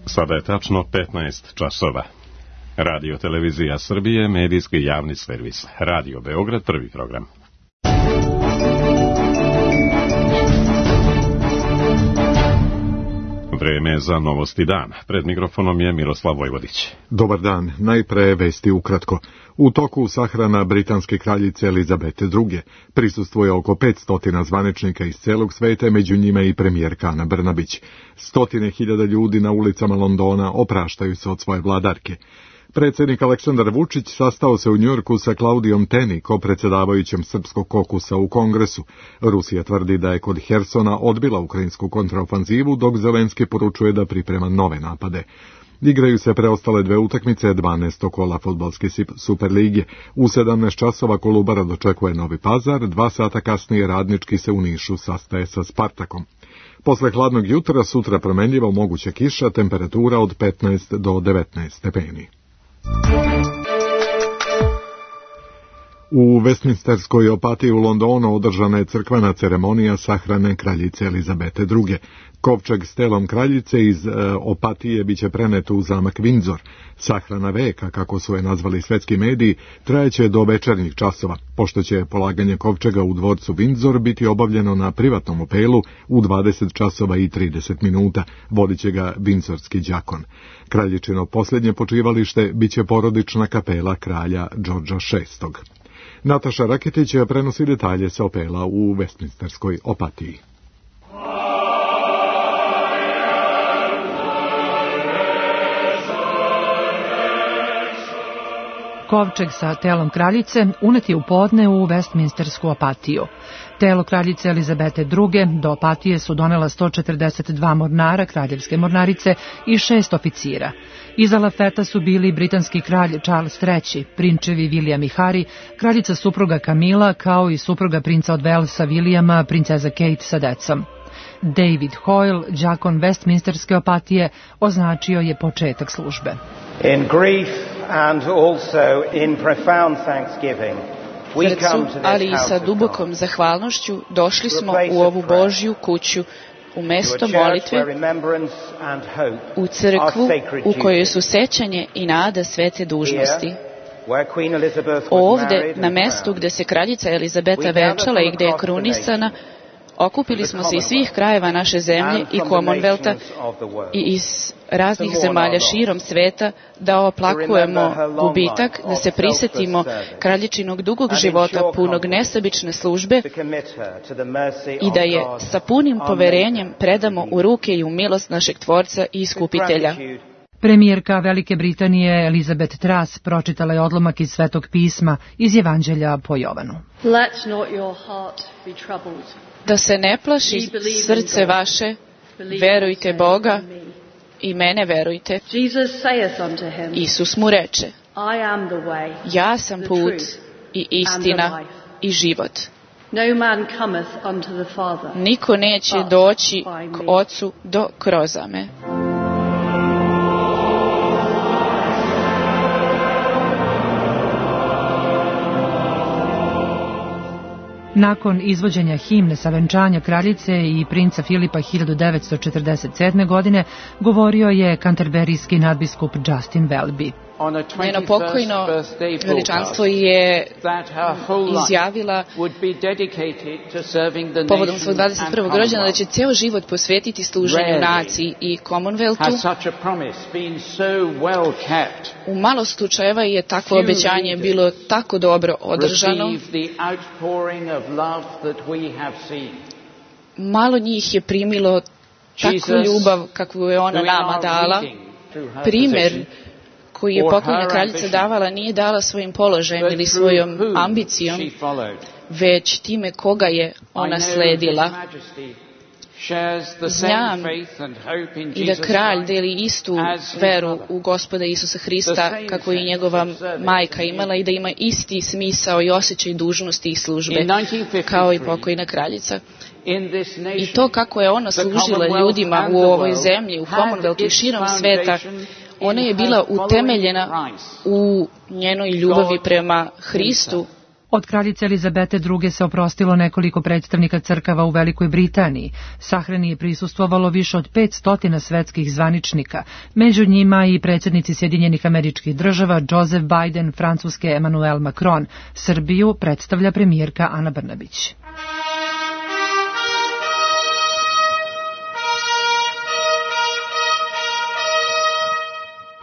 Sada je tačno 15 časova. Radio Televizija Srbije, medijski javni servis. Radio Beograd, prvi program. Vreme za Novosti dan. Pred mikrofonom je Miroslav Vojvodić. Dobar dan. Najpre vesti ukratko. U toku sahrana britanske kraljice Elizabete II. Prisustvuje oko 500 zvaničnika iz celog sveta, među njima i premijerka Ana Brnabić. 100.000 ljudi na ulicama Londona opraštaju se od svoje vladarke. Predsjednik Aleksandar Vučić sastao se u Njujorku sa Klaudijom Teni, kopredsedavajućem srpskog kokusa u Kongresu. Rusija tvrdi da je kod Hersona odbila ukrajinsku kontraofanzivu, dok Zelenski poručuje da priprema nove napade. Igraju se preostale dve utakmice 12. kola fudbalske Superlige. U 17 časova Kolubara dočekuje Novi Pazar, 2 sata kasnije Radnički se u Nišu sastaje sa Spartakom. Posle hladnog jutra sutra promenljivo moguća kiša, temperatura od 15 do 19 stepeni. U Westminsterskoj opatiji u Londonu održana je crkvena ceremonija sahrane kraljice Elizabete II. Kovčeg s telom kraljice iz opatije biće prenet u zamak Windsor. Sahrana veka, kako su je nazvali svetski mediji, trajeće do večernjih časova, pošto će polaganje kovčega u dvorcu Windsor biti obavljeno na privatnom opelu u 20 časova i 30 minuta. Vodit će ga Windsorski đakon. Kraljičino posljednje počivalište biće porodična kapela kralja Đorđa VI. Nataša Raketić prenosi detalje sa opela u Westminsterskoj opatiji. Kovčeg sa telom kraljice unet je u podne u Westminstersku opatiju. Telo kraljice Elizabete II. Do opatije su donela 142 mornara kraljevske mornarice i 6 oficira. Iza lafeta su bili britanski kralj Charles III, prinčevi William i Harry, kraljica supruga Camilla, kao i supruga princa od Walesa Williama, princeza Kate sa decom. David Hoyle, đakon Westminsterske opatije, označio je početak službe. In grief and also in profound thanksgiving, srcu, ali i sa dubokom zahvalnošću došli smo u ovu Božju kuću, u mesto molitve, u crkvu u kojoj su sećanje i nada svete dužnosti. Ovde, na mestu gde se kraljica Elizabeta venčala i gde je krunisana, okupili smo se iz svih krajeva naše zemlje i Commonwealtha i iz raznih zemalja širom sveta da oplakujemo gubitak, da se prisetimo kraljičinog dugog života punog nesebične službe i da je sa punim poverenjem predamo u ruke i u milost našeg Tvorca i Iskupitelja. Premijerka Velike Britanije Elizabeth Truss pročitala je odlomak iz Svetog pisma iz Evanđelja po Jovanu. Da se ne plaši srce vaše, verujte Boga i mene verujte. Isus mu reče, ja sam put i istina i život. Niko neće doći k Ocu do kroz me. Nakon izvođenja himne sa venčanja kraljice i princa Filipa 1947. godine govorio je kanterberijski nadbiskup Justin Welby. Njeno pokojno veličanstvo je izjavila povodom svog 21. rođendana da će ceo život posvetiti služenju naciji i Commonwealthu. U malo slučajeva je takvo obećanje bilo tako dobro održano. Malo njih je primilo takvu ljubav kakvu je ona nama dala. Primer koji je pokojna kraljica davala nije dala svojim položajem ili svojom ambicijom, već time koga je ona sledila. Znam i da kralj deli istu veru u Gospoda Isusa Hrista kako je i njegova majka imala i da ima isti smisao i osjećaj dužnosti i službe kao i pokojna kraljica. I to kako je ona služila ljudima u ovoj zemlji, u Commonwealthu i širom sveta, ona je bila utemeljena u njenoj ljubavi prema Hristu. Od kraljice Elizabete II. Se oprostilo nekoliko predstavnika crkava u Velikoj Britaniji. Sahrani je prisustvovalo više od 500 svetskih zvaničnika, među njima i predsjednici Sjedinjenih Američkih Država Joseph Biden, Francuske Emmanuel Macron. Srbiju predstavlja premijerka Ana Brnabić.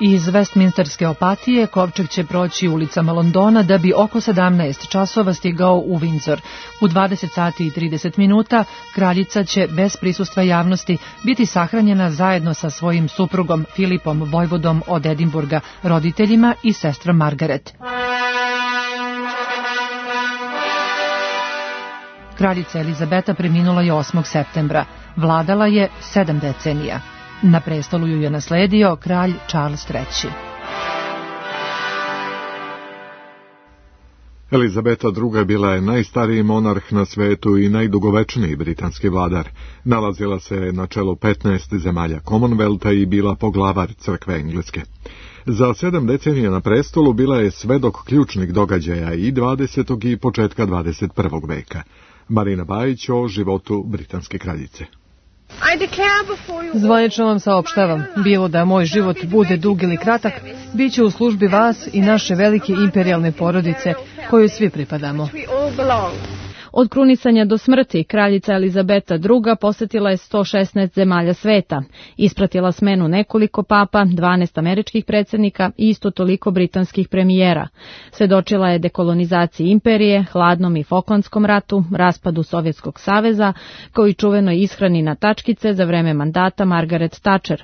Iz Westminsterske opatije kovčeg će proći ulicama Londona da bi oko 17 časova stigao u Windsor. U 20 sati i 30 minuta kraljica će bez prisustva javnosti biti sahranjena zajedno sa svojim suprugom Filipom, vojvodom od Edinburga, roditeljima i sestrom Margaret. Kraljica Elizabeta preminula je 8. septembra. Vladala je 7 decenija. Na prestolu ju je nasledio kralj Charles III. Elizabeta II. Bila je najstariji monarh na svetu i najdugovečniji britanski vladar. Nalazila se na čelu 15 zemalja Commonwealtha i bila poglavar crkve Engleske. Za 7 decenija na prestolu bila je svedok ključnih događaja i 20. i početka 21. veka. Marina Bajić o životu britanske kraljice. Zvanično vam saopštavam, bilo da moj život bude dug ili kratak, bit će u službi vas i naše velike imperijalne porodice, kojoj svi pripadamo. Od krunisanja do smrti, kraljica Elizabeta II. Posjetila je 116 zemalja sveta, ispratila smenu nekoliko papa, 12 američkih predsjednika i isto toliko britanskih premijera. Svedočila je dekolonizaciji imperije, hladnom i Falklandskom ratu, raspadu Sovjetskog saveza, kao i čuvenoj ishrani na tačkice za vreme mandata Margaret Thatcher.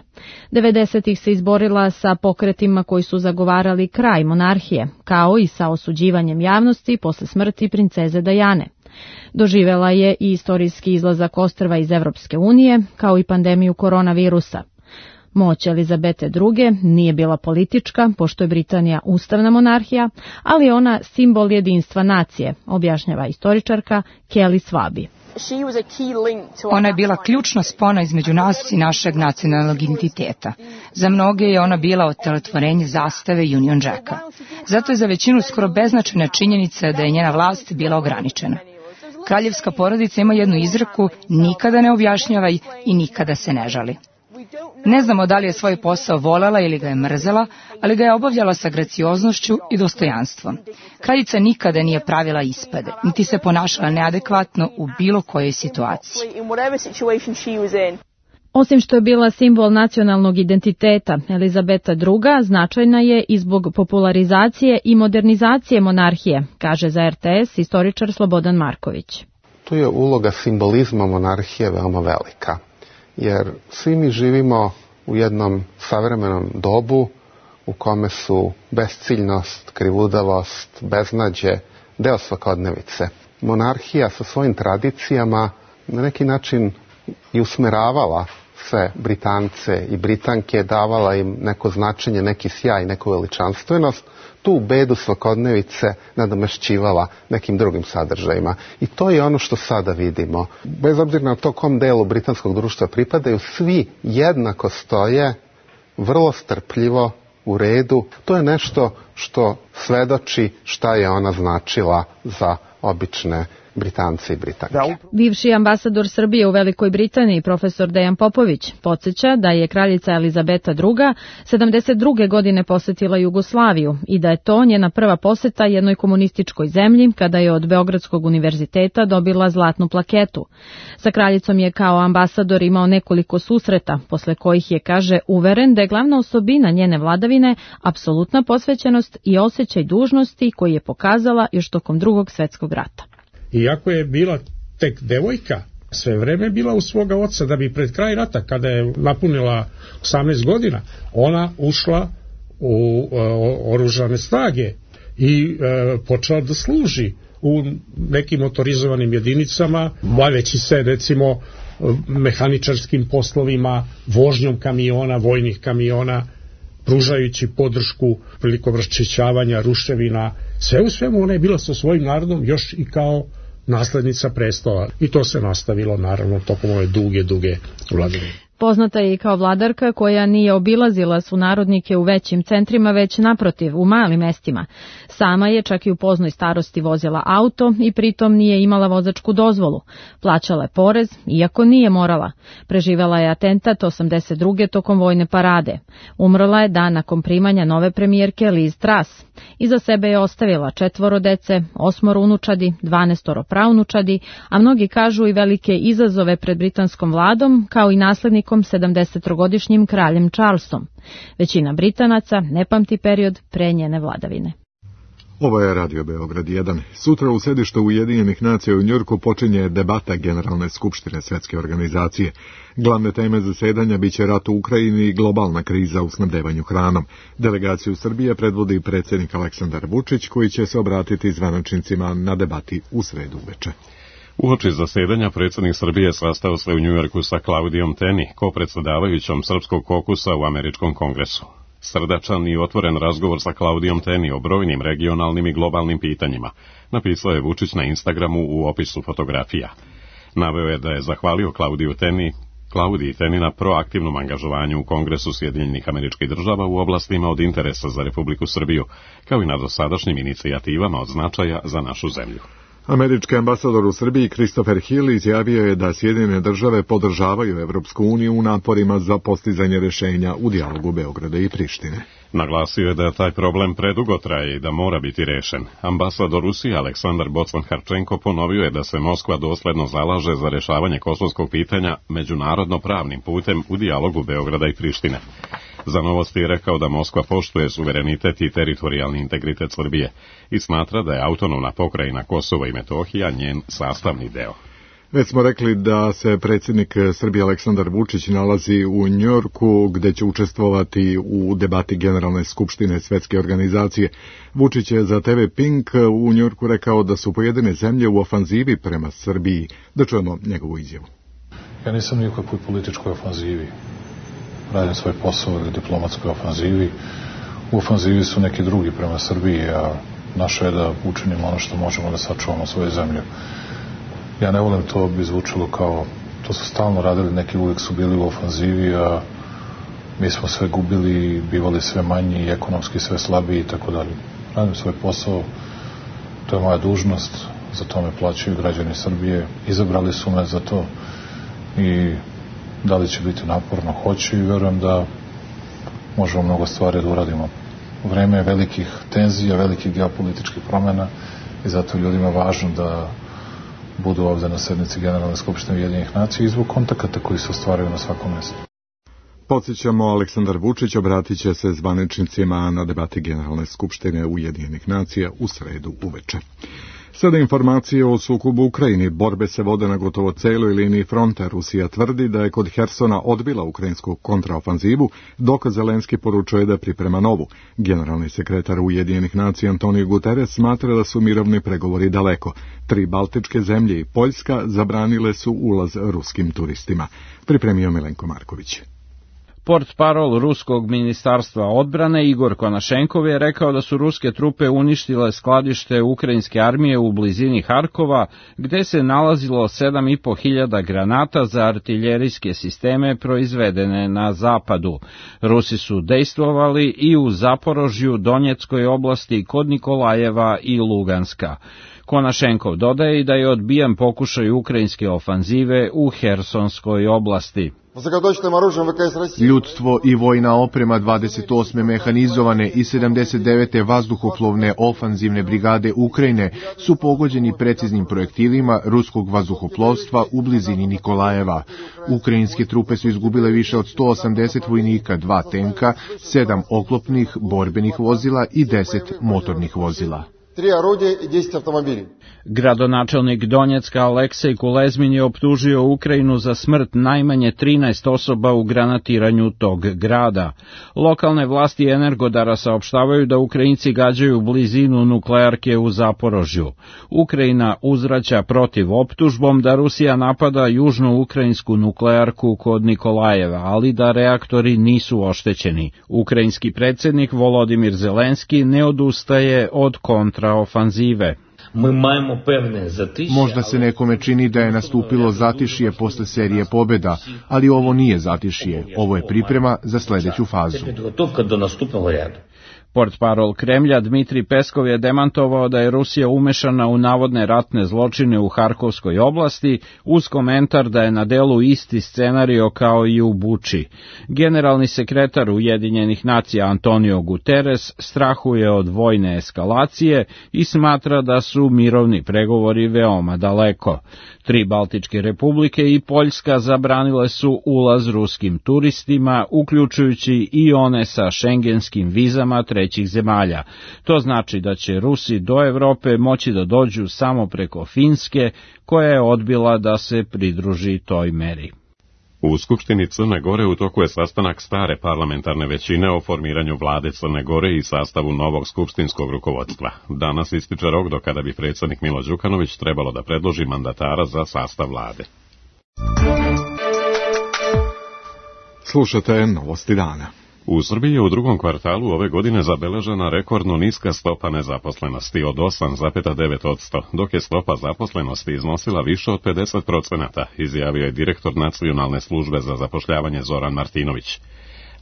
90-ih se izborila sa pokretima koji su zagovarali kraj monarhije, kao i sa osuđivanjem javnosti posle smrti princeze Diane. Doživela je i istorijski izlazak ostrva iz Evropske unije, kao i pandemiju koronavirusa. Moć Elizabete II. Nije bila politička, pošto je Britanija ustavna monarhija, ali ona simbol jedinstva nacije, objašnjava istoričarka Kelly Swaby. Ona je bila ključna spona između nas i našeg nacionalnog identiteta. Za mnoge je ona bila otelotvorenje zastave Union Jacka. Zato je za većinu skoro beznačajna činjenica da je njena vlast bila ograničena. Kraljevska porodica ima jednu izreku: nikada ne objašnjavaj i nikada se ne žali. Ne znamo da li je svoj posao voljela ili ga je mrzela, ali ga je obavljala sa gracioznošću i dostojanstvom. Kraljica nikada nije pravila ispade, niti se ponašala neadekvatno u bilo kojoj situaciji. Osim što je bila simbol nacionalnog identiteta, Elizabeta II. Značajna je i zbog popularizacije i modernizacije monarhije, kaže za RTS istoričar Slobodan Marković. Tu je uloga simbolizma monarhije veoma velika, jer svi mi živimo u jednom savremenom dobu u kome su besciljnost, krivudavost, beznađe deo svakodnevice. Monarhija sa svojim tradicijama na neki način i usmeravala sve Britance i Britanke, davala im neko značenje, neki sjaj, neku veličanstvenost, tu bedu svakodnevice nadomešćivala nekim drugim sadržajima. I to je ono što sada vidimo. Bez obzira na to kom delu britanskog društva pripadaju, svi jednako stoje, vrlo strpljivo, u redu. To je nešto što svedoči šta je ona značila za obične Britance i Britanke. Bivši ambasador Srbije u Velikoj Britaniji, profesor Dejan Popović, podsjeća da je kraljica Elizabeta II. 72. godine posjetila Jugoslaviju i da je to njena prva posjeta jednoj komunističkoj zemlji kada je od Beogradskog univerziteta dobila zlatnu plaketu. Sa kraljicom je kao ambasador imao nekoliko susreta, posle kojih je, kaže, uveren da je glavna osobina njene vladavine apsolutna posvećenost i osjećaj dužnosti koji je pokazala još tokom Drugog svjetskog rata. Iako je bila tek devojka, sve vreme bila u svoga oca, da bi pred kraj rata, kada je napunila 18 godina, ona ušla u oružane snage i počela da služi u nekim motorizovanim jedinicama, baveći se recimo mehaničarskim poslovima, vožnjom kamiona, vojnih kamiona, pružajući podršku prilikom raščišćavanja ruševina. Sve u svemu ona je bila sa svojim narodom još i kao naslednica prestola. I to se nastavilo naravno tokom ove duge vladavine. Poznata je i kao vladarka koja nije obilazila sunarodnike u većim centrima, već naprotiv u malim mestima. Sama je čak i u poznoj starosti vozila auto i pritom nije imala vozačku dozvolu. Plaćala je porez, iako nije morala. Preživela je atentat 82. tokom vojne parade. Umrla je dan nakon primanja nove premijerke Liz Truss. Iza sebe je ostavila 4 dece, 8 unučadi, 12 praunučadi, a mnogi kažu i velike izazove pred britanskom vladom, kao i naslednikom 70-godišnjim kraljem Charlesom. Većina Britanaca ne pamti period pre njene vladavine. Ovo je Radio Beograd 1. Sutra u sedištu Ujedinjenih nacija u Njujorku počinje debata Generalne skupštine Svetske organizacije. Glavne teme zasedanja biće rat u Ukrajini i globalna kriza u snabdevanju hranom. Delegaciju Srbije predvodi predsjednik Aleksandar Vučić, koji će se obratiti zvaničnicima na debati u sredu uveče. Uoči zasedanja predsjednik Srbije sastao se u Njujorku sa Klaudijom Teni, kopredsedavajućom Srpskog kokusa u Američkom kongresu. Srdačan i otvoren razgovor sa Klaudijom Teni o brojnim regionalnim i globalnim pitanjima, napisao je Vučić na Instagramu u opisu fotografija. Naveo je da je zahvalio Klaudiji Teni na proaktivnom angažovanju u Kongresu Sjedinjenih Američkih Država u oblastima od interesa za Republiku Srbiju, kao i na dosadašnjim inicijativama od značaja za našu zemlju. Američki ambasador u Srbiji Christopher Hill izjavio je da Sjedinjene države podržavaju Evropsku uniju u naporima za postizanje rješenja u dijalogu Beograda i Prištine. Naglasio je da taj problem predugo traje i da mora biti rešen. Ambasador Rusije Aleksandar Bocan-Harčenko ponovio je da se Moskva dosledno zalaže za rešavanje kosovskog pitanja međunarodno pravnim putem u dijalogu Beograda i Prištine. Za Novosti je rekao da Moskva poštuje suverenitet i teritorijalni integritet Srbije i smatra da je autonomna pokrajina Kosovo i Metohija njen sastavni deo. Već smo rekli da se predsjednik Srbije Aleksandar Vučić nalazi u Njujorku, gdje će učestvovati u debati Generalne skupštine Svetske organizacije. Vučić je za TV Pink u Njujorku rekao da su pojedine zemlje u ofanzivi prema Srbiji. Da čujemo njegovu izjavu. Ja nisam ni u kakvoj političkoj ofanzivi. Radim svoj posao u diplomatskoj ofanzivi. U ofanzivi su neki drugi prema Srbiji, a naše je da učinimo ono što možemo da sačuvamo svoju zemlju. Ja ne volim to, bi zvučilo kao, to su stalno radili, neki uvijek su bili u ofanzivi, a mi smo sve gubili, bivali sve manji, ekonomski sve slabiji i tako dalje. Radim svoj posao, to je moja dužnost, za to me plaćaju građani Srbije, izabrali su me za to i da li će biti naporno, hoće i verujem da možemo mnogo stvari da uradimo. Vreme je velikih tenzija, velikih geopolitičkih promjena i zato je ljudima važno da budu ovdje na sednici Generalne skupštine Ujedinjenih nacija i zbog kontakata koji se ostvaraju na svakom mjestu. Podsjećamo, Aleksandar Vučić obratit će se zvaničnicima na debati Generalne skupštine Ujedinjenih nacija u sredu uveče. Sada informacije o sukobu u Ukrajini. Borbe se vode na gotovo celoj liniji fronta. Rusija tvrdi da je kod Hersona odbila ukrajinsku kontraofanzivu, dok Zelenski poručuje da priprema novu. Generalni sekretar Ujedinjenih nacija Antonio Guterres smatra da su mirovni pregovori daleko. 3 baltičke zemlje i Poljska zabranile su ulaz ruskim turistima. Pripremio Milenko Marković. Portparol ruskog ministarstva odbrane Igor Konašenkov je rekao da su ruske trupe uništile skladište ukrajinske armije u blizini Harkova, gde se nalazilo 7.500 granata za artiljerijske sisteme proizvedene na zapadu. Rusi su dejstvovali i u Zaporožju, Donjeckoj oblasti, kod Nikolajeva i Luganska. Konašenkov dodaje i da je odbijan pokušaj ukrajinske ofanzive u Hersonskoj oblasti. Ljudstvo i vojna oprema 28. mehanizovane i 79. vazduhoplovne ofanzivne brigade Ukrajine su pogođeni preciznim projektilima ruskog vazduhoplovstva u blizini Nikolajeva. Ukrajinske trupe su izgubile više od 180 vojnika, 2 tenka, 7 oklopnih borbenih vozila i 10 motornih vozila. 3 орудия и 10 автомобилей. Gradonačelnik Donjecka Aleksej Kulezmin je optužio Ukrajinu za smrt najmanje 13 osoba u granatiranju tog grada. Lokalne vlasti Energodara saopštavaju da Ukrajinci gađaju blizinu nuklearke u Zaporožju. Ukrajina uzvraća protiv optužbom da Rusija napada južno-ukrajinsku nuklearku kod Nikolajeva, ali da reaktori nisu oštećeni. Ukrajinski predsjednik Volodimir Zelenski ne odustaje od kontraofanzive. Možda se nekome čini da je nastupilo zatišje posle serije pobjeda, ali ovo nije zatišje, ovo je priprema za sljedeću fazu. Portparol Kremlja Dmitrij Peskov je demantovao da je Rusija umešana u navodne ratne zločine u Harkovskoj oblasti, uz komentar da je na delu isti scenario kao i u Buči. Generalni sekretar Ujedinjenih nacija Antonio Guterres strahuje od vojne eskalacije i smatra da su mirovni pregovori veoma daleko. 3 Baltičke republike i Poljska zabranile su ulaz ruskim turistima, uključujući i one sa šengenskim vizama trećih zemalja. To znači da će Rusi do Evrope moći da dođu samo preko Finske, koja je odbila da se pridruži toj meri. U Skupštini Crne Gore u toku je sastanak stare parlamentarne većine o formiranju vlade Crne Gore i sastavu novog skupštinskog rukovodstva. Danas ističe rok do kada bi predsjednik Milo Đukanović trebalo da predloži mandatara za sastav vlade. Slušate novosti dana. U Srbiji je u drugom kvartalu ove godine zabeležena rekordno niska stopa nezaposlenosti od 8,9%, dok je stopa zaposlenosti iznosila više od 50%, izjavio je direktor Nacionalne službe za zapošljavanje Zoran Martinović.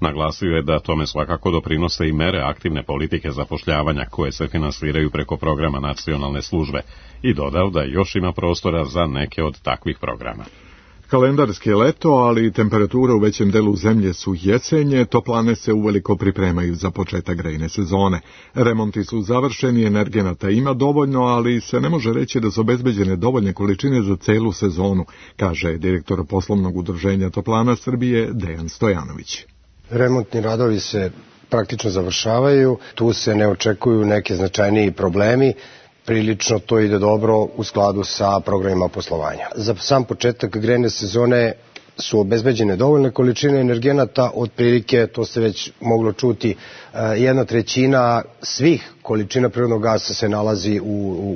Naglasio je da tome svakako doprinose i mere aktivne politike zapošljavanja koje se finansiraju preko programa Nacionalne službe i dodao da još ima prostora za neke od takvih programa. Kalendarski je leto, ali temperature u većem delu zemlje su jesenje, toplane se uveliko pripremaju za početak grejne sezone. Remonti su završeni, energenata ima dovoljno, ali se ne može reći da su obezbeđene dovoljne količine za celu sezonu, kaže direktor poslovnog udruženja Toplana Srbije Dejan Stojanović. Remontni radovi se praktično završavaju, tu se ne očekuju neke značajniji problemi. Prilično to ide dobro u skladu sa programima poslovanja. Za sam početak grejne sezone su obezbeđene dovoljne količine energenata, otprilike, to se već moglo čuti, 1/3 svih količina prirodnog gasa se nalazi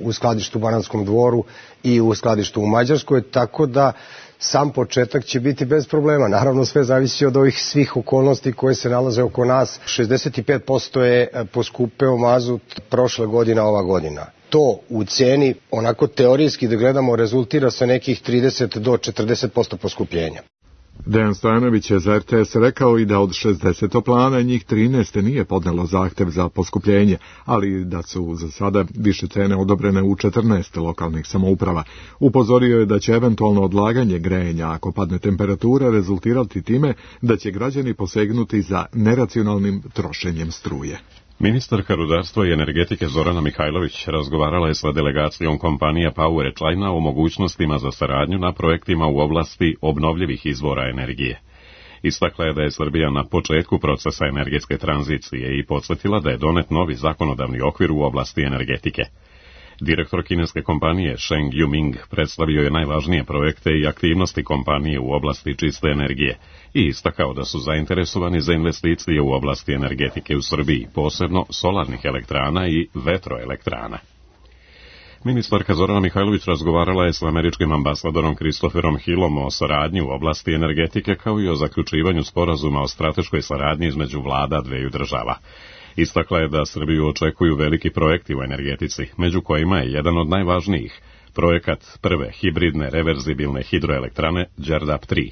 u skladištu u Banatskom Dvoru i u skladištu u Mađarskoj, tako da sam početak će biti bez problema. Naravno, sve zavisi od ovih svih okolnosti koje se nalaze oko nas. 65% je poskupeo mazut prošle godine, ova godina. To u ceni, onako teorijski da gledamo, rezultira sa nekih 30 do 40% poskupljenja. Dejan Stojanović je za RTS rekao i da od 60 toplana njih 13 nije podnelo zahtev za poskupljenje, ali da su za sada više cene odobrene u 14 lokalnih samouprava. Upozorio je da će eventualno odlaganje grejanja, ako padne temperatura, rezultirati time da će građani posegnuti za neracionalnim trošenjem struje. Ministarka rudarstva i energetike Zorana Mihajlović razgovarala je sa delegacijom kompanija Power China o mogućnostima za saradnju na projektima u oblasti obnovljivih izvora energije. Istakla je da je Srbija na početku procesa energetske tranzicije i podsjetila da je donet novi zakonodavni okvir u oblasti energetike. Direktor kineske kompanije Sheng Yuming predstavio je najvažnije projekte i aktivnosti kompanije u oblasti čiste energije i istakao da su zainteresovani za investicije u oblasti energetike u Srbiji, posebno solarnih elektrana i vetroelektrana. Ministarka Zorana Mihajlović razgovarala je s američkim ambasadorom Christopherom Hillom o saradnji u oblasti energetike kao i o zaključivanju sporazuma o strateškoj saradnji između vlada dveju država. Istakla je da Srbiju očekuju veliki projekti u energetici, među kojima je jedan od najvažnijih, projekat prve hibridne reverzibilne hidroelektrane Đerdap 3.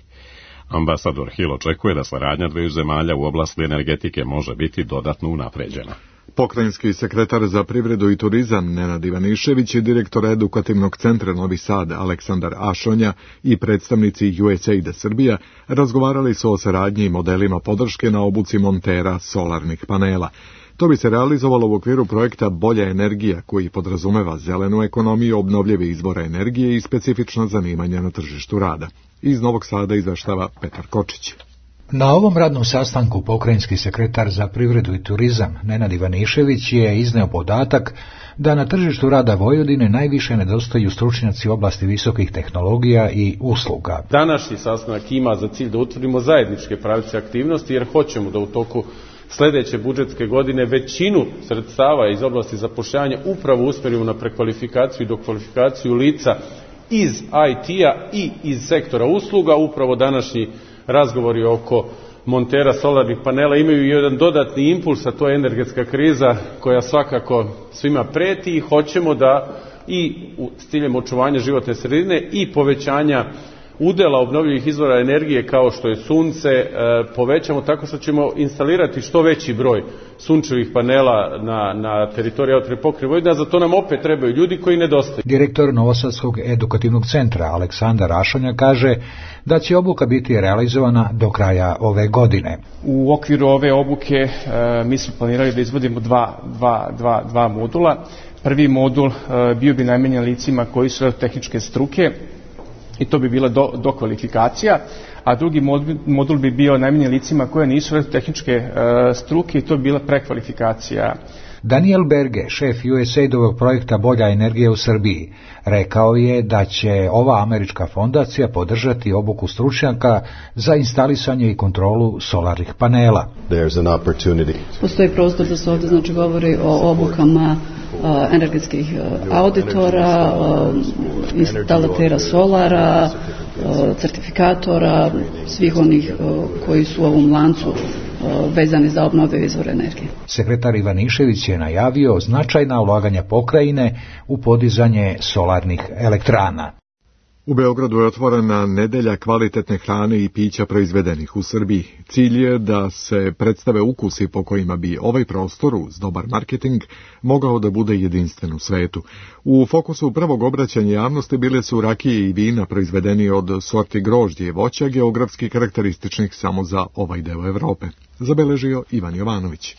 Ambasador Hill očekuje da saradnja dveju zemalja u oblasti energetike može biti dodatno unapređena. Pokrajinski sekretar za privredu i turizam Nenad Ivanišević i direktor edukativnog centra Novi Sad Aleksandar Ašonja i predstavnici USAID Srbija razgovarali su o saradnji i modelima podrške na obuci montera solarnih panela. To bi se realizovalo u okviru projekta Bolja energija, koji podrazumeva zelenu ekonomiju, obnovljive izvore energije i specifična zanimanja na tržištu rada. Iz Novog Sada izveštava Petar Kočić. Na ovom radnom sastanku pokrajinski sekretar za privredu i turizam Nenad Ivanišević je izneo podatak da na tržištu rada Vojvodine najviše nedostaju stručnjaci u oblasti visokih tehnologija i usluga. Današnji sastanak ima za cilj da utvrdimo zajedničke pravce aktivnosti jer hoćemo da u toku sljedeće budžetske godine većinu sredstava iz oblasti zapošljavanja upravo usmjerimo na prekvalifikaciju i dokvalifikaciju lica iz IT-a i iz sektora usluga. Upravo današnji razgovori oko montera solarnih panela imaju jedan dodatni impuls, a to je energetska kriza koja svakako svima preti i hoćemo da i s ciljem očuvanja životne sredine i povećanja udela obnovljivih izvora energije kao što je sunce povećamo tako što ćemo instalirati što veći broj sunčevih panela na teritoriji autonomne pokrajine Vojvodine, a za to nam opet trebaju ljudi koji nedostaju. Direktor Novosadskog edukativnog centra Aleksandar Ašanja kaže da će obuka biti realizovana do kraja ove godine. U okviru ove obuke mi smo planirali da izvodimo dva modula. Prvi modul bio bi namenjen licima koji su tehničke struke, i to bi bila dokvalifikacija, a drugi modul bi bio namenjen licima koje nisu tehničke struke i to bi bila prekvalifikacija. Daniel Berge, šef USAID-ovog projekta Bolja energija u Srbiji, rekao je da će ova američka fondacija podržati obuku stručnjaka za instalisanje i kontrolu solarnih panela. Postoji prostor da se ovdje govori o obukama energetskih auditora, instalatera solara, certifikatora, svih onih koji su u ovom lancu vezani za obnovljive izvore energije. Sekretar Ivanišević je najavio značajna ulaganja pokrajine u podizanje solarnih elektrana. U Beogradu je otvorena nedelja kvalitetne hrane i pića proizvedenih u Srbiji. Cilj je da se predstave ukusi po kojima bi ovaj prostor uz dobar marketing mogao da bude jedinstven u svetu. U fokusu prvog obraćanja javnosti bile su rakije i vina proizvedeni od sorti grožđe i voća, geografski karakterističnih samo za ovaj deo Evrope. Zabeležio Ivan Jovanović.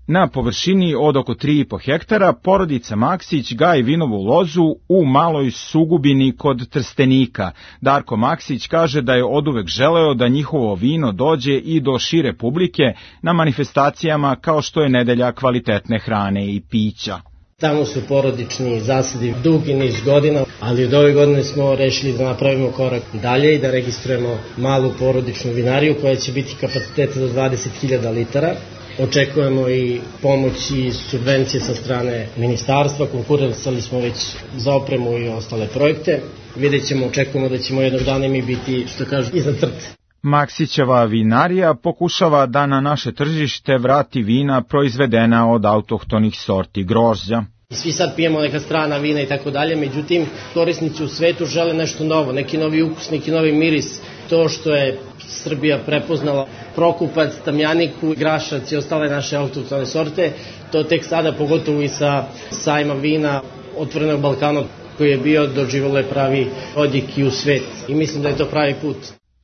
Na površini od oko 3,5 hektara porodica Maksić gaji vinovu lozu u Maloj Sugubini kod Trstenika. Darko Maksić kaže da je oduvek želeo da njihovo vino dođe i do šire publike na manifestacijama kao što je nedelja kvalitetne hrane i pića. Tamo su porodični zasadi dugi niz godina, ali od ove godine smo rešili da napravimo korak dalje i da registrujemo malu porodičnu vinariju koja će biti kapaciteta do 20.000 litara. Očekujemo i pomoć i subvencije sa strane ministarstva, konkurisali smo već za opremu i ostale projekte. Vidjet ćemo, očekujemo da ćemo jednog dana mi biti, što kažu, iznad crte. Maksićeva vinarija pokušava da na naše tržište vrati vina proizvedena od autohtonih sorti grožđa. Svi sad pijemo neka strana vina i tako dalje, međutim korisnici u svetu žele nešto novo, neki novi ukus, neki novi miris. To što je Srbija prepoznala Prokupac, Tamjaniku, Grašac i ostale naše autohtone sorte, to tek sada, pogotovo i sa sajma vina Otvorenog Balkana koji je bio, doživjelo je pravi odjek i u svet. I mislim da je to pravi put.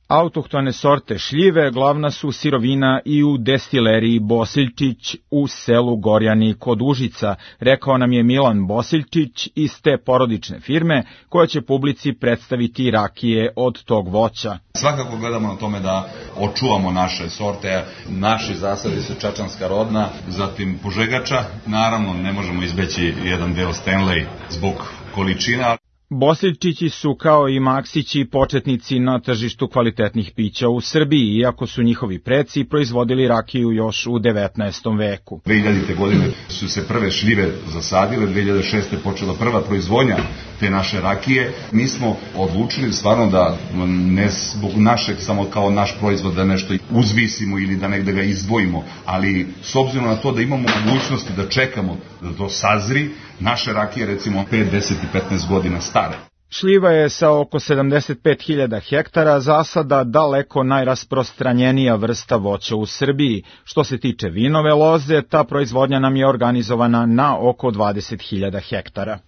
Autohtone sorte šljive glavna su sirovina i u destileriji Bosiljčić u selu Gorjani kod Užica, rekao nam je Milan Bosiljčić iz te porodične firme koja će publici predstaviti rakije od tog voća. Svakako gledamo na tome da očuvamo naše sorte, naši zasadi su čačanska rodna, zatim požegača, naravno ne možemo izbeći jedan deo Stanley zbog količina. Bosiljčići su kao i Maksići početnici na tržištu kvalitetnih pića u Srbiji, iako su njihovi preci proizvodili rakiju još u 19. veku. 2000. godine su se prve šljive zasadile, 2006. počela prva proizvodnja te naše rakije. Mi smo odlučili stvarno da ne zbog našeg, samo kao naš proizvod da nešto uzvisimo ili da negde ga izdvojimo, ali s obzirom na to da imamo mogućnosti da čekamo da to sazri, naše rakije recimo 5, 10 i 15 godina stare. Šljiva je sa oko 75.000 hektara zasada daleko najrasprostranjenija vrsta voća u Srbiji. Što se tiče vinove loze, ta proizvodnja nam je organizovana na oko 20.000 hektara.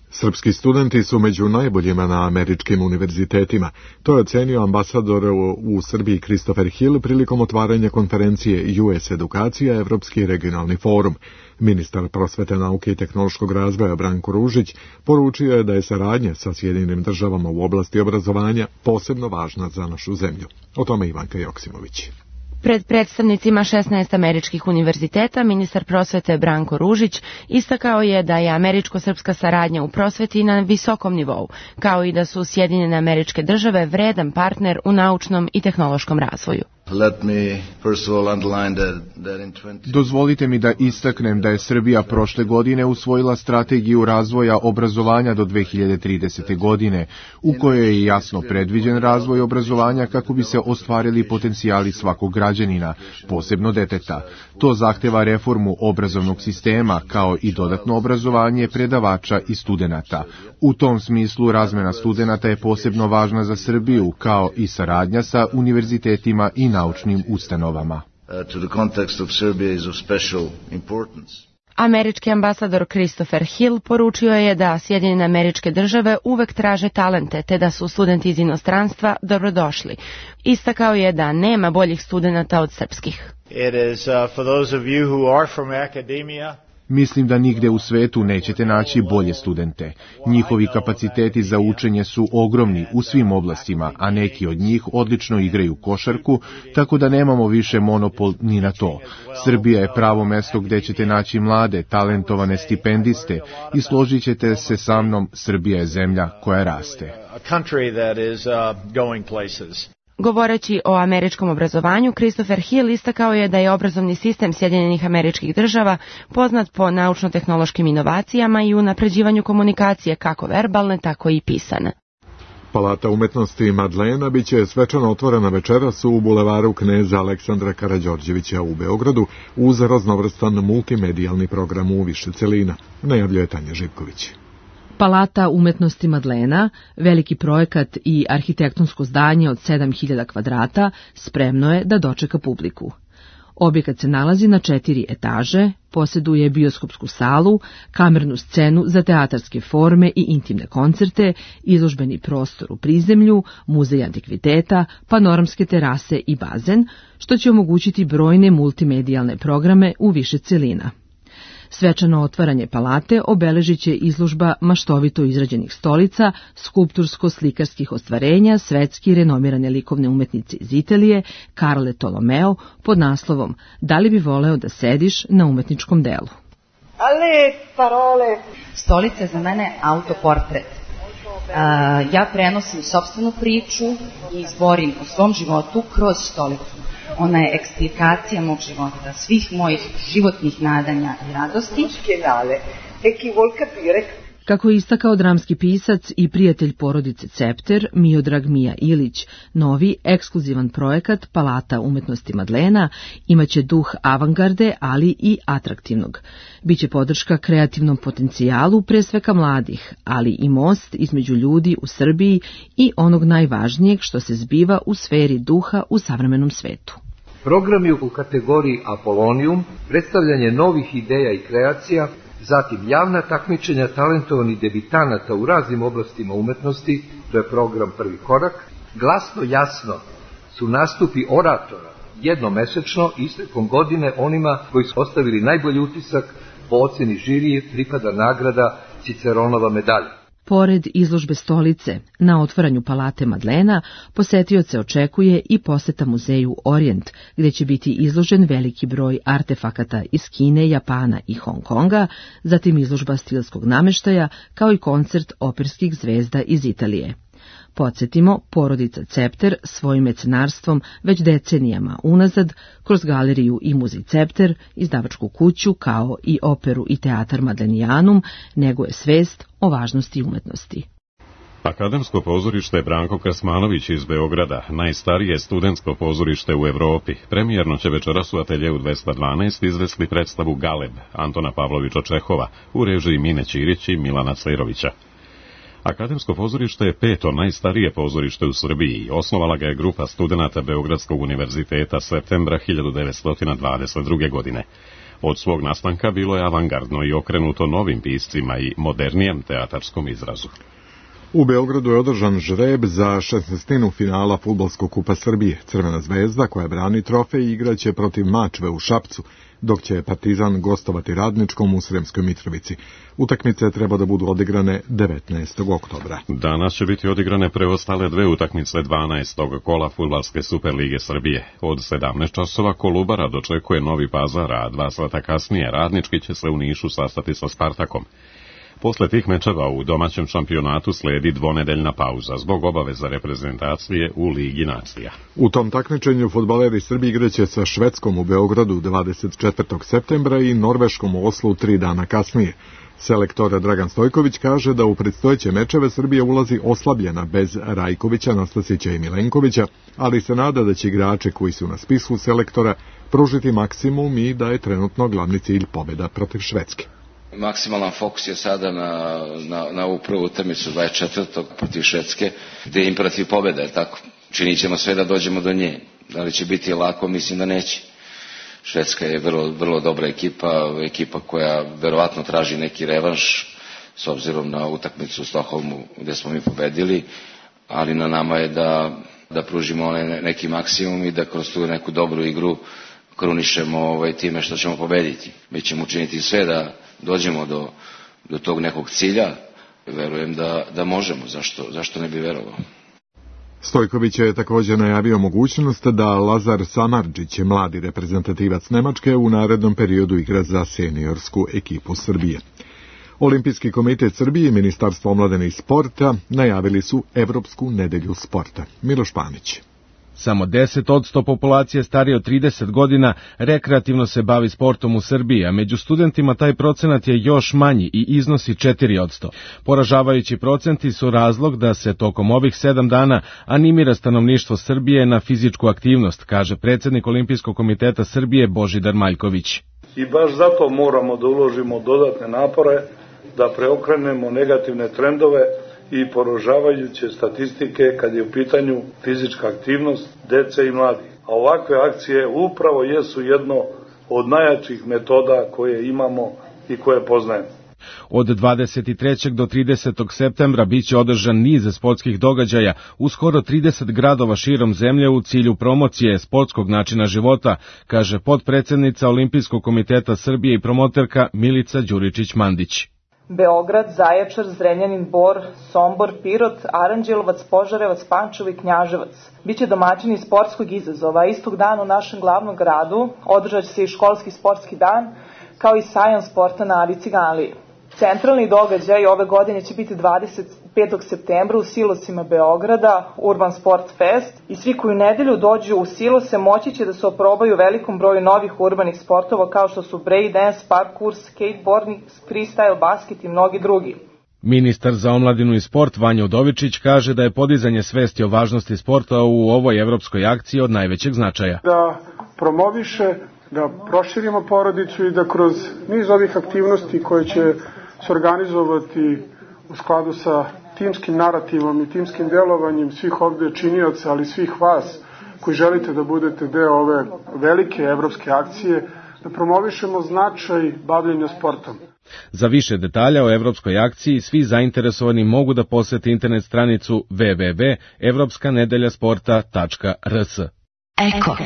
Srpski studenti su među najboljima na američkim univerzitetima. To je ocenio ambasador u Srbiji Christopher Hill prilikom otvaranja konferencije US Edukacija, Evropski regionalni forum. Ministar prosvete, nauke i tehnološkog razvoja Branko Ružić poručio je da je saradnja sa Sjedinjenim državama u oblasti obrazovanja posebno važna za našu zemlju. O tome Ivanka Joksimović. Pred predstavnicima 16 američkih univerziteta ministar prosvete Branko Ružić istakao je da je američko-srpska saradnja u prosveti na visokom nivou, kao i da su Sjedinjene Američke Države vredan partner u naučnom i tehnološkom razvoju. Dozvolite mi da istaknem da je Srbija prošle godine usvojila strategiju razvoja obrazovanja do 2030. godine, u kojoj je jasno predviđen razvoj obrazovanja kako bi se ostvarili potencijali svakog građanina, posebno deteta. To zahteva reformu obrazovnog sistema, kao i dodatno obrazovanje predavača i studenata. U tom smislu razmena studenata je posebno važna za Srbiju, kao i saradnja sa univerzitetima i naučnim ustanovama. Američki ambasador Christopher Hill poručio je da Sjedinjene Američke Države uvek traže talente, te da su studenti iz inostranstva dobrodošli. Istakao je da nema boljih studenata od srpskih. Mislim da nigde u svetu nećete naći bolje studente. Njihovi kapaciteti za učenje su ogromni u svim oblastima, a neki od njih odlično igraju košarku, tako da nemamo više monopol ni na to. Srbija je pravo mesto gde ćete naći mlade, talentovane stipendiste i složit ćete se sa mnom, Srbija je zemlja koja raste. Govoreći o američkom obrazovanju, Christopher Hill istakao je da je obrazovni sistem Sjedinjenih Američkih Država poznat po naučno-tehnološkim inovacijama i unapređivanju komunikacije kako verbalne, tako i pisane. Palata umetnosti Madlena biće svečano otvorena večeras u bulevaru Kneza Aleksandra Karađorđevića u Beogradu uz raznovrstan multimedijalni program u više celina, najavljuje Tanja Živković. Palata umetnosti Madlena, veliki projekat i arhitektonsko zdanje od 7000 kvadrata, spremno je da dočeka publiku. Objekat se nalazi na 4 etaže, posjeduje bioskopsku salu, kamernu scenu za teatarske forme i intimne koncerte, izložbeni prostor u prizemlju, muzej antikviteta, panoramske terase i bazen, što će omogućiti brojne multimedijalne programe u više celina. Svečano otvaranje palate obeležit će izložba maštovito izrađenih stolica, skulptursko-slikarskih ostvarenja svetski renomirane likovne umetnice iz Italije, Carle Tolomeo, pod naslovom Da li bi voleo da sediš na umetničkom delu? Ale parole! Stolica je za mene autoportret. Ja prenosim sopstvenu priču i izborim o svom životu kroz stolicu. Ona je eksplikacija mog života, svih mojih životnih nadanja i radosti. Kako je istakao dramski pisac i prijatelj porodice Cepter, Miodrag Mija Ilić, novi ekskluzivan projekat Palata umetnosti Madlena imaće duh avangarde, ali i atraktivnog. Biće podrška kreativnom potencijalu pre svega mladih, ali i most između ljudi u Srbiji i onog najvažnijeg što se zbiva u sferi duha u savremenom svetu. Programi u kategoriji Apolonium, predstavljanje novih ideja i kreacija, zatim javna takmičenja talentovanih debitanata u raznim oblastima umetnosti, to je program Prvi korak, Glasno jasno su nastupi oratora jednomesečno i istekom godine onima koji su ostavili najbolji utisak, po oceni žirije pripada nagrada Ciceronova medalja. Pored izložbe stolice, na otvaranju Palate Madlena posetioce očekuje i poseta muzeju Orient, gdje će biti izložen veliki broj artefakata iz Kine, Japana i Hong Konga, zatim izložba stilskog nameštaja, kao i koncert operskih zvezda iz Italije. Podsjetimo, porodica Cepter svojim mecenarstvom već decenijama unazad, kroz galeriju i muzej Cepter, izdavačku kuću, kao i operu i teatar Madlenijanum, neguje svest o važnosti umetnosti. Akademsko pozorište Branko Krasmanović iz Beograda, najstarije studentsko pozorište u Evropi, premijerno će večeras u ateljevu 212 izvesti predstavu Galeb Antona Pavlovića Čehova u režiji Mine Ćirić i Milana Cejrovića. Akademsko pozorište je 5. najstarije pozorište u Srbiji. Osnovala ga je grupa studenata Beogradskog univerziteta septembra 1922. godine. Od svog nastanka bilo je avangardno i okrenuto novim piscima i modernijem teatarskom izrazu. U Beogradu je održan žreb za 16. finala Fudbalskog kupa Srbije. Crvena zvezda, koja brani trofej, igraće protiv Mačve u Šapcu, dok će Partizan gostovati Radničkom u Sremskoj Mitrovici. Utakmice treba da budu odigrane 19. oktobra. Danas će biti odigrane preostale 2 utakmice 12. kola Fudbalske Superlige Srbije. Od 17 časova Kolubara dočekuje Novi Pazar, a 2 sata kasnije Radnički će se u Nišu sastati sa Spartakom. Posle tih mečeva u domaćem šampionatu sledi dvonedeljna pauza zbog obaveza reprezentacije u Ligi nacija. U tom takmičenju fudbaleri Srbije igraće sa Švedskom u Beogradu 24. septembra i Norveškom u Oslu 3 dana kasnije. Selektor Dragan Stojković kaže da u predstojeće mečeve Srbija ulazi oslabljena bez Rajkovića, Nastasića i Milenkovića, ali se nada da će igrači koji su na spisku selektora pružiti maksimum i da je trenutno glavni cilj pobjeda protiv Švedske. Maksimalan fokus je sada na ovu prvu utakmicu 24. protiv Švedske, gde je imperativ pobjeda, je tako? Činit ćemo sve da dođemo do nje. Da li će biti lako? Mislim da neće. Švedska je vrlo dobra ekipa koja verovatno traži neki revanš s obzirom na utakmicu u Stokholmu gde smo mi pobedili, ali na nama je da pružimo neki maksimum i da kroz tu neku dobru igru krunišemo time što ćemo pobediti. Mi ćemo učiniti sve da dođemo do tog nekog cilja. Verujem da možemo, zašto ne bi verovao. Stojković je također najavio mogućnost da Lazar Samardžić, mladi reprezentativac Nemačke, u narednom periodu igra za seniorsku ekipu Srbije. Olimpijski komitet Srbije i Ministarstvo omladine i sporta najavili su Evropsku nedelju sporta. Miloš Panić. Samo 10% populacije starije od 30 godina rekreativno se bavi sportom u Srbiji, a među studentima taj procenat je još manji i iznosi 4%. Poražavajući procenti su razlog da se tokom ovih 7 dana animira stanovništvo Srbije na fizičku aktivnost, kaže predsjednik Olimpijskog komiteta Srbije Božidar Maljković. I baš zato moramo da uložimo dodatne napore da preokrenemo negativne trendove i poražavajuće statistike kad je u pitanju fizička aktivnost dece i mladih. A ovakve akcije upravo jesu jedno od najjačih metoda koje imamo i koje poznajemo. Od 23. do 30. septembra biće održan niz sportskih događaja u skoro 30 gradova širom zemlje u cilju promocije sportskog načina života, kaže potpredsjednica Olimpijskog komiteta Srbije i promoterka Milica Đuričić-Mandić. Beograd, Zaječar, Zrenjanin, Bor, Sombor, Pirot, Aranđelovac, Požarevac, Pančevo i Knjaževac. Biće domaćini sportskog izazova. Istog dana u našem glavnom gradu održat će se i školski sportski dan, kao i sajam sporta na Adi Ciganliji. Centralni događaj ove godine će biti 25. septembra u Silosima Beograda, Urban Sport Fest, i svi koji u nedelju dođu u Silose moći će da se oprobaju velikom broju novih urbanih sportova kao što su breakdance, parkour, skateboarding, freestyle, basket i mnogi drugi. Ministar za omladinu i sport Vanja Udovičić kaže da je podizanje svesti o važnosti sporta u ovoj evropskoj akciji od najvećeg značaja. Da promoviše, da proširimo porodicu i da kroz niz ovih aktivnosti koje će se organizovati u skladu sa timskim narativom i timskim delovanjem svih ovde činioca, ali svih vas koji želite da budete deo ove velike evropske akcije, da promovišemo značaj bavljenja sportom. Za više detalja o evropskoj akciji svi zainteresovani mogu da posete internet stranicu www.evropskanedeljasporta.rs. Eko.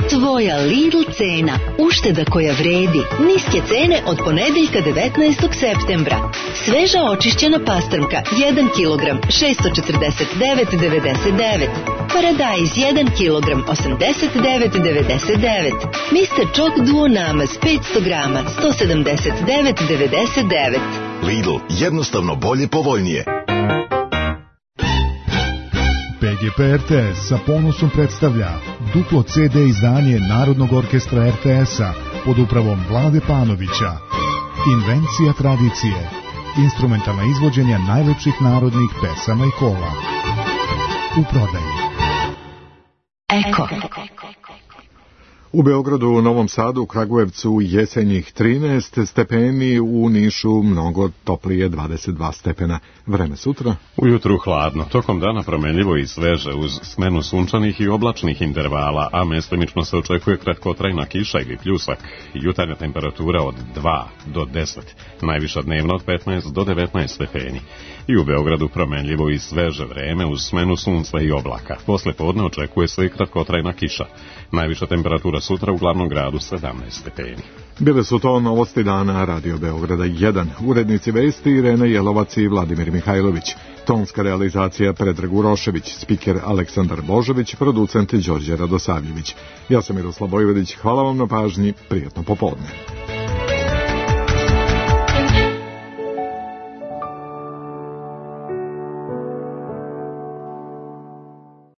Tvoja Lidl cena, ušteda koja vredi, niske cene od ponedeljka 19. septembra. Sveža očišćena pastrmka 1 kg 649,99. Paradajz 1 kg 89,99. Mr. Choc Duo Namaz 500 grama 179,99. Lidl, jednostavno bolje, povoljnije. PGP RTS sa ponosom predstavlja duplo CD izdanje Narodnog orkestra RTS-a pod upravom Vlade Panovića. Invencija tradicije. Instrumentalna izvođenja najlepših narodnih pesama i kola. U prodaji. Eko. U Beogradu, u Novom Sadu, u Kragujevcu jesenjih 13 stepeni, u Nišu mnogo toplije 22 stepena. Vreme sutra? Ujutru hladno, tokom dana promenljivo i sveže uz smenu sunčanih i oblačnih intervala, a mestimično se očekuje kratkotrajna kiša ili pljusak. Jutarnja temperatura od 2 do 10, najviša dnevna od 15 do 19 stepeni. I u Beogradu promenljivo i sveže vreme uz smenu sunca i oblaka. Posle podne očekuje se i kratkotrajna kiša. Najviša temperatura sutra u glavnom gradu 17 stepeni. Bile su to novosti dana Radio Beograda 1. Urednici vesti Irena Jelovac i Vladimir Mihajlović. Tonska realizacija Predrag Urošević, spiker Aleksandar Božović, producent Đorđe Radosavljević. Ja sam Miroslav Vojvodić, hvala vam na pažnji, prijatno popodne.